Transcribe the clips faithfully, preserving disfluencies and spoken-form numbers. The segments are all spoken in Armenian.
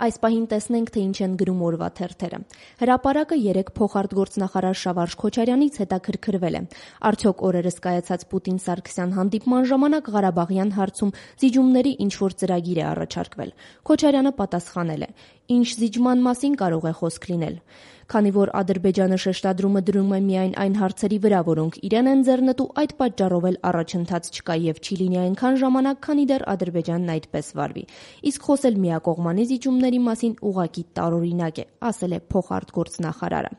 Այս պահին տեսնենք, թե ինչ են գրում օրվա թերթերը։ Հրապարակը երեկ փոխարտգործնախարար Շավարժ Քոչարյանից հետաքրքրվել է. արդյոք օրերս կայացած Պուտին-Սարգսյան հանդիպման ժամանակ Ղարաբաղյան հարցում զիջումների ինչ-որ ծրագիր է առաջարկվել։ Քոչարյանը պատասխանել է. ինչ զիջման մասին կարող է խոսք լինել։ Քանի որ Ադրբեջանը շեշտադրումը դրում է միայն այն հարցերի վրա, որոնք իրեն են ձեռնտու, այդ պատճառով էլ առաջընթաց չկա եւ չի լինի այնքան ժամանակ, քանի դեռ Ադրբեջանն այդպես վարվի։ Իսկ խոսել միակողմանի զիջումների մասին ուղղակի տարօրինակ է, ասել է փոխարտգործնախարարը։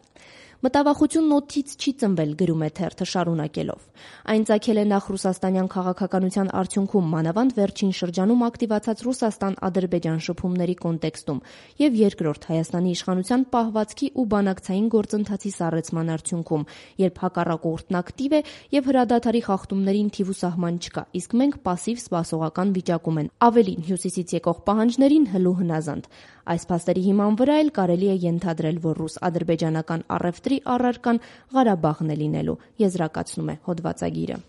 Մտավախությունն օդից չի ծնվել, գրում է թերթը շարունակելով։ Այն ծագել է նախ ռուսաստանյան քաղաքականության արդյունքում, մանավանդ վերջին շրջանում ակտիվացած Ռուսաստան-Ադրբեջան շփումների կոնտեքստում եւ երկրորդ Հայաստանի իշխանության պահվածքի ու բանակցային գործընթացի սառեցման արդյունքում, երբ հակառակորդն ակտիվ է եւ հրադադարի խախտումներին թիվ ու սահման չկա, իսկ մենք պասիվ սպասողական վիճակում են, ավելին հյուսիսից եկող պահանջներին հլու հնազանդ։ Այս փաստերի հիման վրա էլ կարելի է ենթադրել, որ ռուս-ադրբեջանական առևտրի առարկան Ղարաբաղն է լինելու, եզրակացնում է հոդվածագիրը։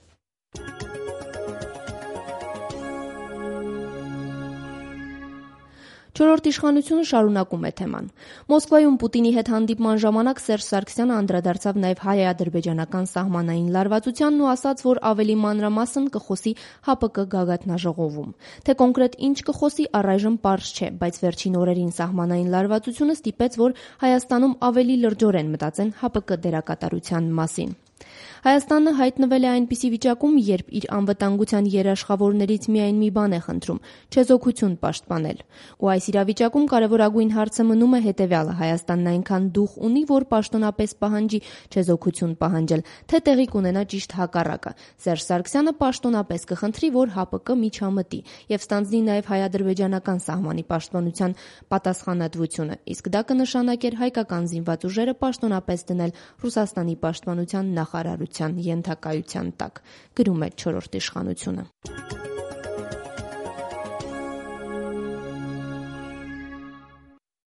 Չորրորդ իշխանությունը շարունակում է թեման։ Մոսկվայում Պուտինի հետ հանդիպման ժամանակ Սերժ Սարգսյանը անդրադարձավ նաև հայ-ադրբեջանական սահմանային լարվածությանն ու ասաց, որ ավելի մանրամասն կխոսի ՀԱՊԿ գագաթնաժողովում։ Թե կոնկրետ ինչ կխոսի, առայժմ պարզ չէ, բայց վերջին օրերին սահմանային լարվածությունը ստիպեց, որ Հայաստանում ավելի լրջորեն մտածեն ՀԱՊԿ դերակատարության մասին։ Հայաստանը հայտնվել է այնպիսի վիճակում, երբ իր անվտանգության երաշխավորներից միայն մի բան է խնդրում՝ չեզոքություն պաշտպանել։ Ու այս իրավիճակում կարևորագույն հարցը մնում է հետևյալը՝ Հայաստանն այնքան դուխ ունի, որ պաշտոնապես պահանջի չեզոքություն պահանջել, թե տեղի կունենա ճիշտ հակառակը։ Սերժ Սարգսյանը պաշտոնապես կխնդրի, որ ՀԱՊԿ միջամտի եւ ստանձնի նաեւ հայ-ադրբեջանական սահմանի պաշտպանության պատասխանատվությունը, իսկ դա կնշանակեր հայկական զինված ուժերը պաշտոնապես դնել Ռուսաստանի պաշտպանության նախարարության ենթակայության տակ, գրում է չորրորդ իշխանությունը։